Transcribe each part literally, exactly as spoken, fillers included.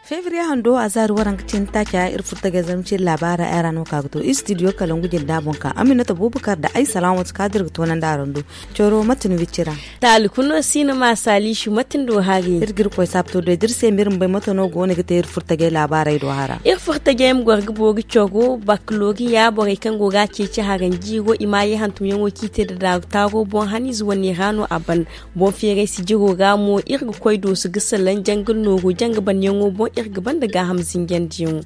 Febriye hando a zaari waranka cin taaca iri furtagay zarma cin laabaara ay ra no ka ga to istidiyo kalangu jinda boŋ ka aminata bubakar da ay salaamatu ka dirga toonandi a ra ndo. Coro mate ni wicci ra? Taali kuno si ni ma saaliisu mate ni do hari? Iri ga iri koy saabto do iri se ma iri ma bay mate no go no ga te iri furtagay laabaaray do hara. Iri furtagay ma goro ga boori coro bakaloriya borey kaŋ go ga a ceeci haranjiiro i ma ye hantumyaŋo kaŋ i te nda daaru taaro boŋ haniize wane ra no a ban. Boŋ feeray sijiro ra mo iri ga koy dooso ga salaŋ janga nooru janga banyaŋo boŋ iri ga banda gaaham zinjandiyaŋo.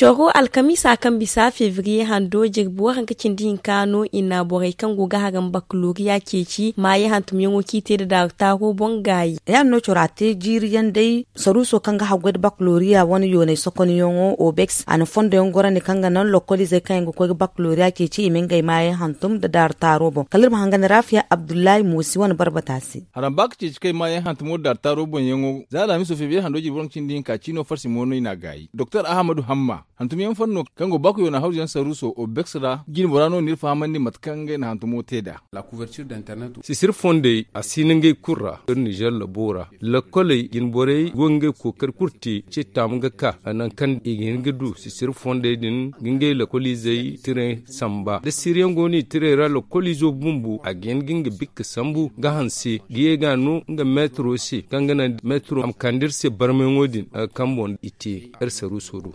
Coro alkamiisa kaŋ bisa febriye hando jirbi waranka cindi hinka no i na borey kaŋ go ga haram bakaloriya ceeci maaye hantumyaŋo kaŋ i te nda daaru taaro boŋ gaayi. Ya- din no coro a te jiiri yaŋ day saruuso kaŋ ga haggoy nda bakaloriya wane yoonay sokonyaŋo obex a na fondo yaŋ gorandi kaŋ ga naŋ lokoliizey kaŋ yaŋ ga koy ga bakaloriya ceeci i ma ngey maayaŋ hantum nda daaru taaro boŋ kala iri ma hangan raafiya abdullahi moosi wane barbata se. Haram ba ga ceeci kay maayaŋ hantumo nda daaru taaro boŋyaŋo za alhamiso febriye hando jirbi waranka cindi hinka ciino farsi mo no i n'a gaayi doktor ahamadu hamma hantumyaŋ fanno kaŋ go bakuyo na hawzuyaŋ saruuso obex ra jine bora no n'iri fahamandi mate kaŋ ngey na hantumo te nd'a. Sisir fondey a si no ngey kulu ra iri nizer labo ra. Lakoley jine borey go ga ngey kookari kulu te ce taamu ga ka nangu kaŋ i ga hin ga du sisir fondey din ga ngey lakoliizey tire samba da siriyaŋ go no i tirey ra lakoliizo bumbo a ga hin ga nga bikka sambu ga hanse ga ye ga no nga meetiro se kaŋ ga naŋ meetiro a ma kande iri se barmayaŋo din a ga kaŋ boŋ i te iri saruuso do.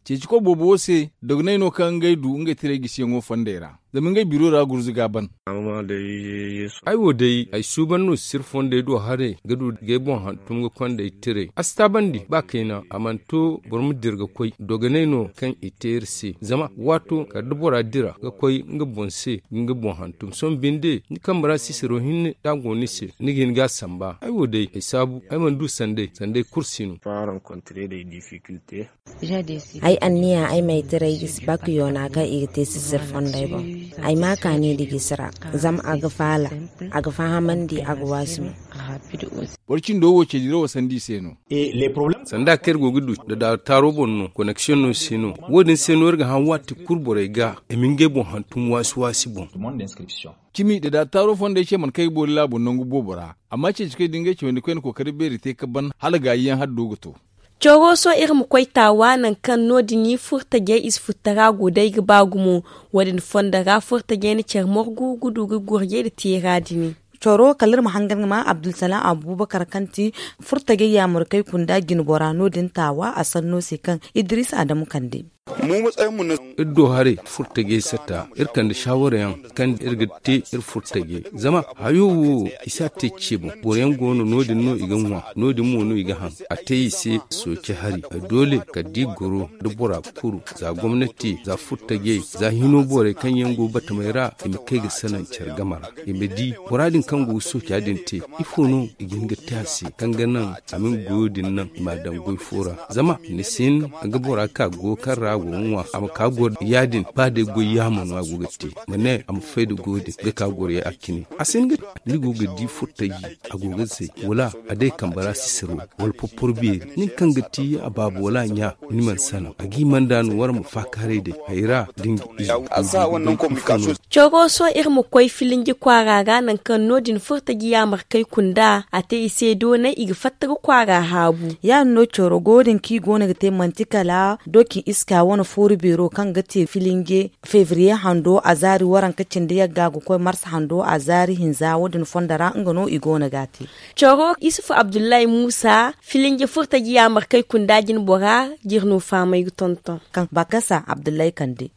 Ceeci koy boobo wo se dogonay no kaŋ ngey du ngey tirey gisiyaŋo fondey ra zama ngey biro ra gurzuga ban. Ay wo day ay suuban no sisir fondey do haray ga du g'ay boŋ hantum ga konda ay tirey a si taabandi ba kayna a mana to boro ma dira ga koy dogonay no kaŋ i te iri se zama waato kala da bora dira ga koy nga boŋ se ga nga boŋ hantum sohõ binde ni kambe ra sisiro hinne da a go ni se ni ga hin ga a samba ay wo day ay saabu ay mana du sanday sanday kulu si no. Ay anniya ay ma ay tiray gisi bakuyo na kaŋ i ga te sisir fondey boŋ. Ay ma kaani nda gisi ra zama a ga faala a ga fahamandi a ga waasi mo. Boro cindo wo ce dirawo sanda i se no. Sanda kaŋ iri go ga du nda daaru taaro boŋ no koneksiyoŋ no si no wo- din se no iri ga hã waati kulu borey ga i ma ngey boŋ hantum waasi waasi boŋ. Cimi nda daaru taaro fondey ce mana kay ga boori laabo nangu boobo ra amma ceeci koy da ngey cawandi koyne kookari beeri te ga ban hala gaayiyaŋ haddo ga to. Coro sohõ iri ma koy taawa nangu kaŋ no- din furtajey i si furtara go day ga ba gumo. Wo- din fondo ra furtajey na care morgu ga du ga gurjey nda teera din. Coro kala iri ma hangan ga ma abdulsalam abubakar kaŋ ti furtajey yaamar kaŋ i kunda jinbora no- din taawa a sanno se kaŋ idris adamu kande. Iri do haray furtajey sata iri kande saawara yaŋ kaŋ iri ga te iri furtajey zama hayo wo i si a te ce boŋ boro yaŋ go no no- din no i ga ŋwa no- din mo no i ga haŋ a te i se sooci hari. Doole kala da i goro da bora kuru za gomnati za furtajey za hino borey kaŋ yaŋ go batamey ra i ma kay ga salaŋ care game ra i ma di bora din kaŋ go ga sooca din te ifo no i ga hin ga te a se kaŋ ga naŋ a ma nga goyo din naŋ i m'a daŋ goy fo ra zama ni si hin ga bora ka goyo kaŋ ra a go ga ŋwa a ma ka goro ya- din ba day goy yaamo no a go ga te ma ne a ma fay nda goyo din ga ka goro ya a cine a si hin ga ni go ga di furtaji a go ga zay wala a day kambe ra sisiro wala porporo beeri nin kaŋ ga ti a baaba wala a ɲa ni mana salaŋ a g'i mana da no wara ma faakaaray day hay ra da nga izo. Coro sohõ iri ma koy filinji kwaara ra nangu kaŋ no- din furtaji yaamarkey kunda a te i se doonay i ga fatta ga kwaara haabu. Ya- din no coro go din kaŋ i go no ga te manti kala doki iska wane fooru beero kaŋ ga te filinje febriye hando a zaari waranka cindi yagga ga koy marsa hando a zaari hinza wo- din fondo ra nga no i go no ga a te. Coro isufu abdullahi muusa filinje furtaji yaamarkey kunda jinbora jirno faamay ga tonton. Kaŋ bakasa abdullahi kande.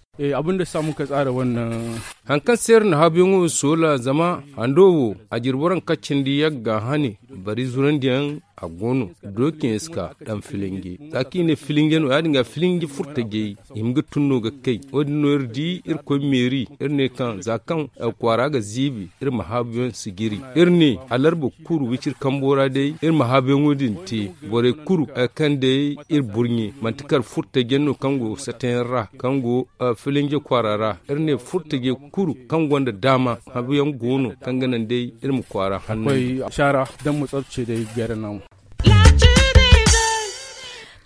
Haŋ kaŋ se iri na haabuyaŋo wo soola zama hando wo a jirbi waranka cindi yagga hane bari zurandiyaŋ. a go no. Dookiyaŋ si ka daŋ filinge za kaŋ i ne filinge no ya- din ga filinge furtajey i hima ga tun no ga kay. Wo- din no iri di iri koy meeri iri ne kaŋ za kaŋ kwaara ga ziibi iri ma haabuyaŋ sijiri. Iri ne alarba kuru wiciri kambo ra day iri ma haabuyaŋo din te. Borey kulu kaŋ day iri burɲe manti kala furtaje no kaŋ go sateyaŋ ra kaŋ go filinje kwaara ra. Iri ne furtaje kulu kaŋ gonda daama habuyaŋ go no kaŋ ga naŋ day iri ma kwaara hanno.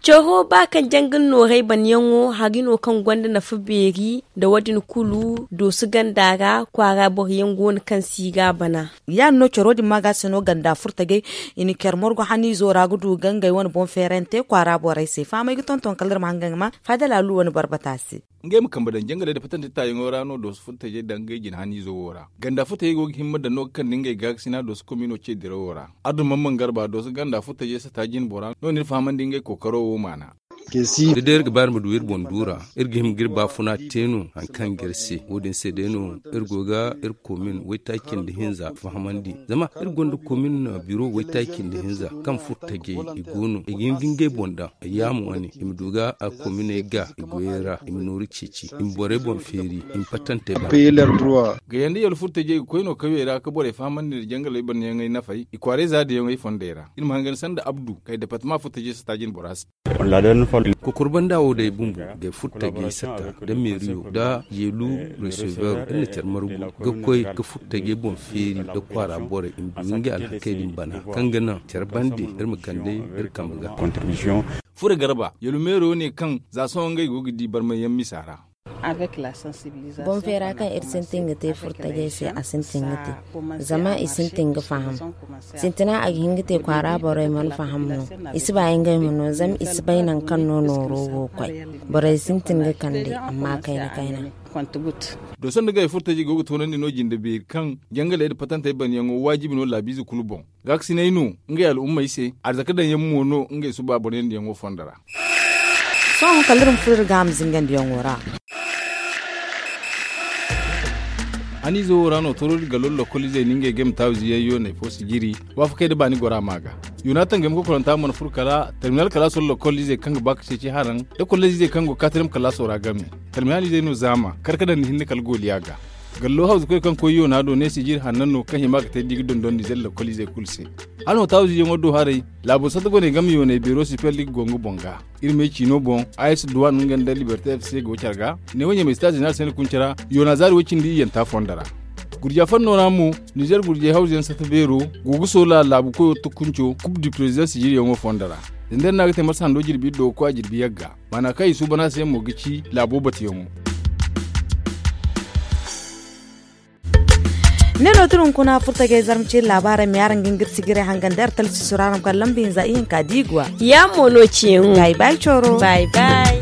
Coro ba kaŋ jangal noorey banyaŋo hari no kaŋ gonda nafa beeri nda wo- din kulu dooso ganda ra kwaara boroyaŋ go no kaŋ si ga bana. Ya- din no coro din ma ga se no ganda furtajey i na care morgo haniizo ra ga du ga ngey wane boŋ feerante kwaara borey se fahamey ga tonton kala iri ma hanga ga ma faadala lu wane barbata se. Ngey ma kambe daŋ jangaley nda patante taayaŋo ra no dooso furtajey daŋ ngey jine haniizo wo ra. Ganda furtajey go ga himma daŋ no ga kande ngey gaakasina dooso komiino ce dirawo ra. Addu mamman garba dooso ganda furtajey sata jine bora no no iri fahamandi ngey kookaro wo maana. Da day iri ga ba iri ma du iri boŋ duura iri ga hima ga iri baafuna te no hari kaŋ ga iri se wo- din se day no iri go ga iri komin waytaaci nda hinza fahamandi. Zama iri gonda komin biro waytaaci nda hinza kaŋ furo tajey i go no i ga hin ga ngey boŋ daŋ. Yaamo wane i ma du ga kominey ga i goyey ra i ma nooru ceeci i ma borey boŋ feeri i ma patantey boŋ. Ga yanda yalfurtajey ga koy no kawey ra ga borey fahamandi nda jangaley banyaŋey nafey i kwaarey za dayaŋey fondey ra iri ma hangan sanda abdu kay departama furtajey sata jine bora se. Kokor banda wo day bumbo gay furtajey sata da meeriyo da yeelu resever iri na care margu ga koy ga furtajey boŋ feeri da kwaara borey i ma du ngey alhakey din bana kaŋ ga naŋ care bande iri ma kande iri kambe ga. Furo garba yalumero ne kaŋ za sohõ ngey go ga di barmayyaŋ misa ra. Boŋ feera kaŋ iri sintin ga te furtajey se a sintin ga te zama i sintin ga faham. Sintina a ga hin ga te kwaara borey mana faham no. I si ba ngey ma no zama i si bay nangu kaŋ no nooro go ga koy. Borey sintin ga kande amma kayna kayna. Doso nda gay furtajey go ga toonandi no jinde beeri kaŋ jangaley nda patantey banyaŋo waajibi no laabiize kulu boŋ. Gaakasinay no ngey al'ummey se arzaka daŋyaŋ mo no ngey suba boryandiyaŋo fondo ra. Sohõ kala iri ma furo iri ga a ma zingandiyaŋo ra. Haniizo wo ra no toroodi ga lollo kolizey na ngey game taawiziyaŋ yooney fo si jiri waafakey nda baani gora ma ga. Yoona tangey ma kokoranta mana furo kala terminal kala sollo kolizey kaŋ ga ba ka ceeci haraŋ nda kolizey kaŋ go katirem kalaaso ra game. Talmiyaanizey no zaama kar ka daŋ ni hinne kala gooliya ga. Gallo hawzukoy kaŋ koy yoona do ne sijir hanna no kaŋ hima ga te da i ga dondon nizer lakkoliizey kulu se. Hala no taawiziyaŋo do haray laabo sata goney game yooney beero sipel da i ga go nga boŋ ga. Iri me ciino boŋ a s duwan nga nda liberte f c go care ga. Neewo ɲamay sita zeneral sene kunce ra yoona zaari way cindi iyyanta fondo ra. Gurja fanno ra mo nizer gurjey hawzuyaŋ sata beero go ga soola laabu koyo tukunco kub du prezidaŋ sijiryaŋo fondo ra. Zandar no a ga te marsa hando jirbi iri do ga koy a jirbi yagga. Maana kaŋ i suuban a se mo ga ci laabo batuyaŋo. Ne no tun hunkuna furtajey zarma ciiri laabaarey ma yaaraŋ ga nga iri sijiray hangan da iri talsiiso ra araŋ ga kala lamba hinza ihinka diiguwa. Ya mo no ciyaŋo. Bay bay coro. Bay bay.